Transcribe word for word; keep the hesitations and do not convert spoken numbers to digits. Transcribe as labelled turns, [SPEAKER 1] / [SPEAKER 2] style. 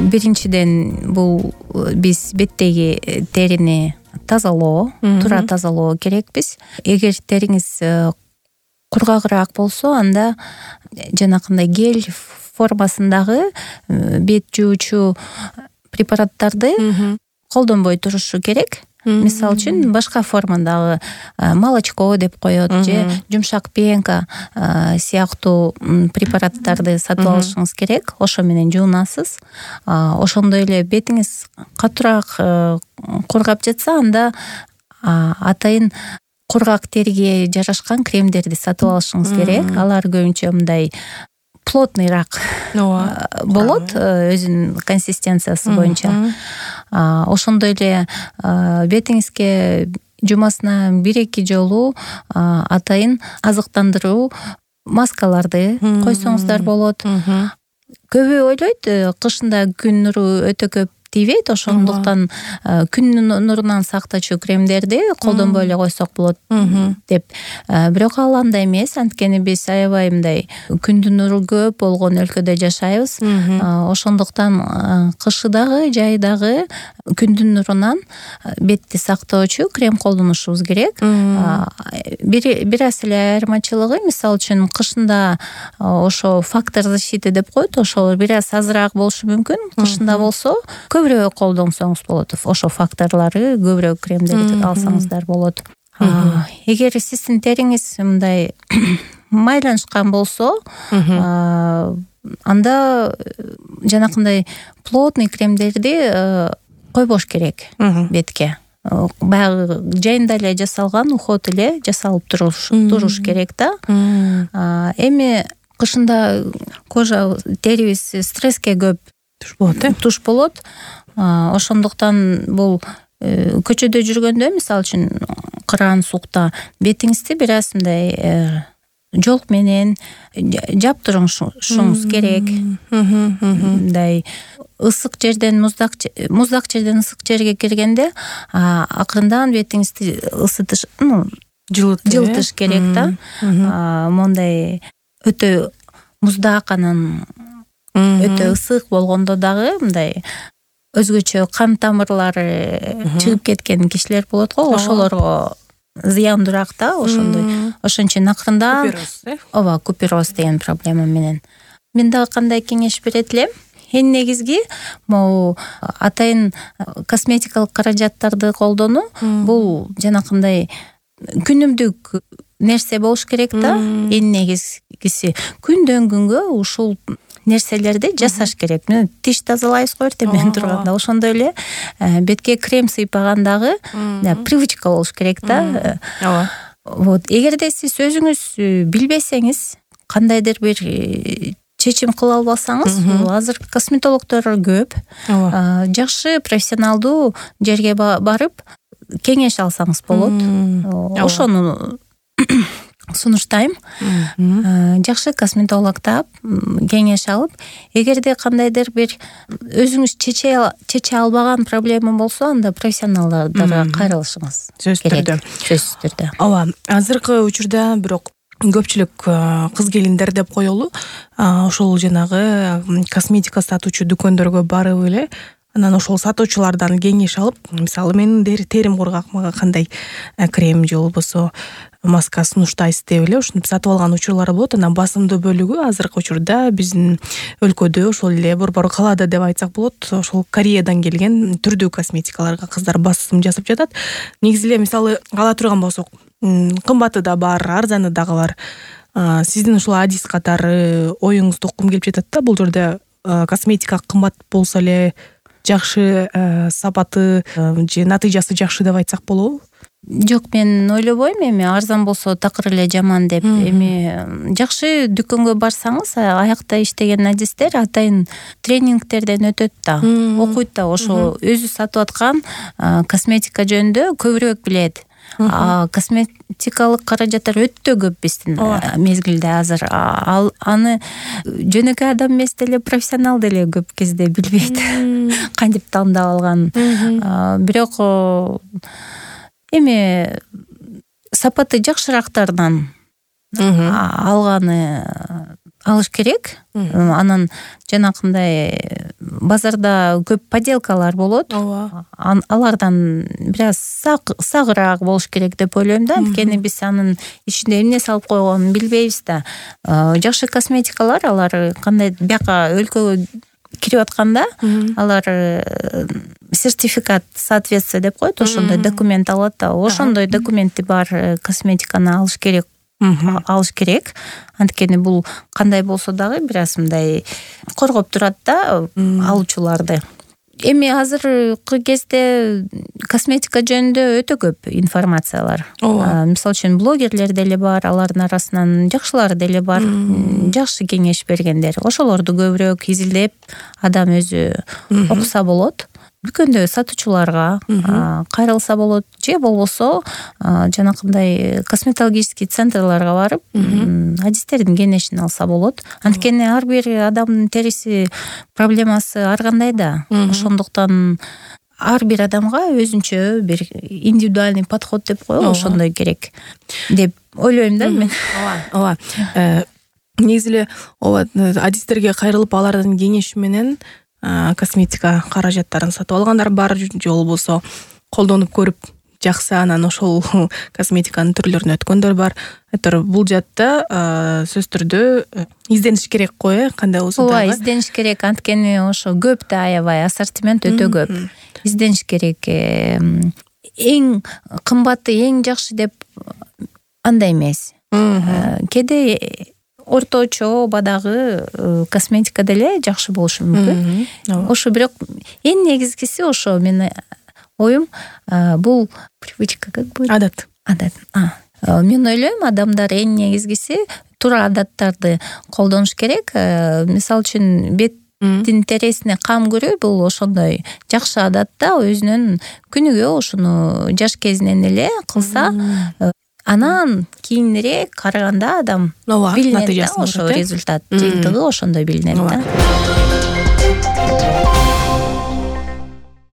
[SPEAKER 1] биринчиден бул биз беттеги терини тазалоо, туура тазалоо керекпиз. Эгер териңиз кургагыраак болсо, анда жанакындай гель формасындагы бет жуучу препараттарды колдонбой турушу керек. Мисалы үчүн башка формадагы молочко деп коет же жумшак пенка сыяктуу препараттарды сатып алышыңыз керек. Ошо менен жуунасыз. Ошондой эле бетиңиз катуураак кургап жатса, анда атайын кургак териге жарашкан кремдерди сатып алышыңыз керек. Алар көбүнчө мындай плотныйраак болот өзүнүн консистенциясы боюнча. Ошондой эле бетиңизге жумасына бир-эки жолу атайын азыктандыруу маскаларды койсоңуздар болот. Көбү ойлойт, кышында күн нуру өтө көп тийбейт, ошондуктан күн нурунан сактоочу кремдерди колдонбой эле койсок болот деп. Бирок ал андай эмес, анткени биз аябай мындай күндүн нуру көп болгон өлкөдө жашайбыз. Ошондуктан кышы дагы, жай дагы күндүн нурунан бетти сактоочу крем колдонушубуз керек. Бир аз эле айырмачылыгы, мисалы үчүн кышында ошо фактор защиты деп коет, ошол бир аз азыраак болушу мүмкүн. Кышында болсо көбүрөөк колдонсоңуз болот. Ошо факторлору көбүрөөк кремдерди алсаңыздар болот. Эгер сиздин териңиз мындай майланышкан болсо, анда жанакындай плотный кремдерди койбош керек бетке. Баягы жайында эле жасалган уход эле жасалып туруш керек да. Эми кышында кожа, терибиз стресске көп туш болот, э? Туш болот. Ошондуктан бул көчөдө жүргөндө, мисалы үчүн кыран суукта бетиңизди бир аз мындай жол менен жаптырышыңыз керек. Мындай ысык жерден муздак муздак жерден ысык жерге киргенде акырындан бетиңизди ысытыш, жылытыш керек да. Мондай өтө муздак, анан өтө ысык болгондо дагы мындай өзгөчө кан тамырлары чыгып кеткен кишилер болот го, ошолорго зыяндуураак да. Ошондой ошон үчүн акырындан ооба, купероз деген проблема менен. Мен дагы кандай кеңеш берет элем? Эң негизги могу атайын косметикалык каражаттарды колдонуу. Бул жанакындай күнүмдүк нерсе болуш керек да. Эң негизгиси күндөн күнгө ушул нерселерди жасаш керек. Тиш тазалайбыз го эртең менен турганда. Ошондой эле бетке крем сыйпаган дагы привычка болуш керек да. Вот. Эгерде сиз өзүңүз билбесеңиз, кандайдыр бир чечим кыла албасаңыз, азыр косметологдор көп. Жакшы профессионалдуу жерге барып кеңеш алсаңыз болот. Ошону сунуштайм. Жакшы косметолог таап, кеңеш алып, эгерде кандайдыр бир өзүңүз чече албаган проблема болсо, анда профессионалдарга кайрылышыңыз керек. Сөзсүз түрдө.
[SPEAKER 2] Ооба, азыркы учурда бирок көпчүлүк кыз келиндер деп коелу, ошол жанагы косметика сатуучу дүкөндөргө барып эле, анан ошол сатуучулардан кеңеш алып, мисалы менин терим кургак, мага кандай крем же болбосо маска сунуштайсыз деп эле ушинтип сатып алган учурлар болот. Анан басымдуу бөлүгү азыркы учурда биздин өлкөдө, ошол эле борбор калаада деп айтсак болот, ошол Кореядан келген түрдүү косметикаларга кыздар басым жасап жатат. Негизи эле мисалы ала турган болсок, кымбаты да бар, арзаны дагы бар. Сиздин ушул адис катары оюңузду уккум келип жатат да. Бул жерде косметика кымбат болсо эле жакшы сапаты же натыйжасы жакшы деп айтсак болобу?
[SPEAKER 1] Жок, мен ойлобойм эми арзан болсо такыр эле жаман деп. Эми жакшы дүкөнгө барсаңыз, аякта иштеген адистер атайын тренингтерден өтөт да, окуйт да, ошо өзү сатып аткан косметика жөнүндө көбүрөөк билет. Косметикалык каражаттар өтө көп биздин мезгилде азыр. Ал аны жөнөкөй адам эмес деле, профессионал деле көп кезде билбейт кантип тандап алган. Бирок эми сапаты жакшыраактардан алганы алыш керек. Анан жанакындай базарда көп подделкалар болот.
[SPEAKER 2] ооба.
[SPEAKER 1] Алардан бир аз сагыраак болуш керек деп ойлойм да. Анткени биз анын ичинде эмне салып койгонун билбейбиз да. Жакшы косметикалар алар кандай бияка өлкөгө кирип атканда алар сертификат соответствие деп коет, ошондой документ алат да. Ошондой документи бар косметиканы алыш керек. алыш керек. Анткени бул кандай болсо дагы бир аз мындай коргоп турат да алуучуларды. Эми азыркы кезде косметика жөнүндө өтө көп информациялар. Мисалы үчүн блогерлер деле бар, алардын арасынан жакшылар деле бар, жакшы кеңеш бергендер. Ошолорду көбүрөөк изилдеп адам өзү окуса болот. Дүкөндө сатуучуларга кайрылса болот, же болбосо жанакындай косметологический центрларга барып, адистердин кеңешин алса болот. Анткени ар бир адамдын териси проблемасы ар кандай да. Ошондуктан ар бир адамга өзүнчө бир индивидуальный подход деп коелу, ошондой керек деп ойлойм да мен.
[SPEAKER 2] Ооба. Ооба. Негизи эле ооба, адистерге кайрылып алардын кеңеши менен косметика каражаттарын сатып алгандар бар, же болбосо колдонуп көрүп жаксы анан ошол косметиканын түрлөрүнө өткөндөр бар. Айтор бул жатта сөзсүз түрдө издениш керек го, э, кандай болсо дагы.
[SPEAKER 1] Ооба, издениш керек, анткени ошо көп да аябай, ассортимент өтө көп. Издениш керек. Эң кымбаты, эң жакшы деп андай эмес. Кээде орточо бадагы косметика деле жакшы болушу мүмкүн. Ошо бирок эң негизгиси ошо менин оюм бул привычка, как будет?
[SPEAKER 2] Адат.
[SPEAKER 1] Адат. Мен ойлойм, адамдар эң негизгиси туура адаттарды колдонуш керек. Мисалы үчүн беттин терисине кам көрүү бул ошондой жакшы адат да. Өзүнүн күнүгө ошону жаш кезинен эле кылса, анан кийинирээк караганда адам билинет да, ошо результат жыйынтыгы ошондой билинет да.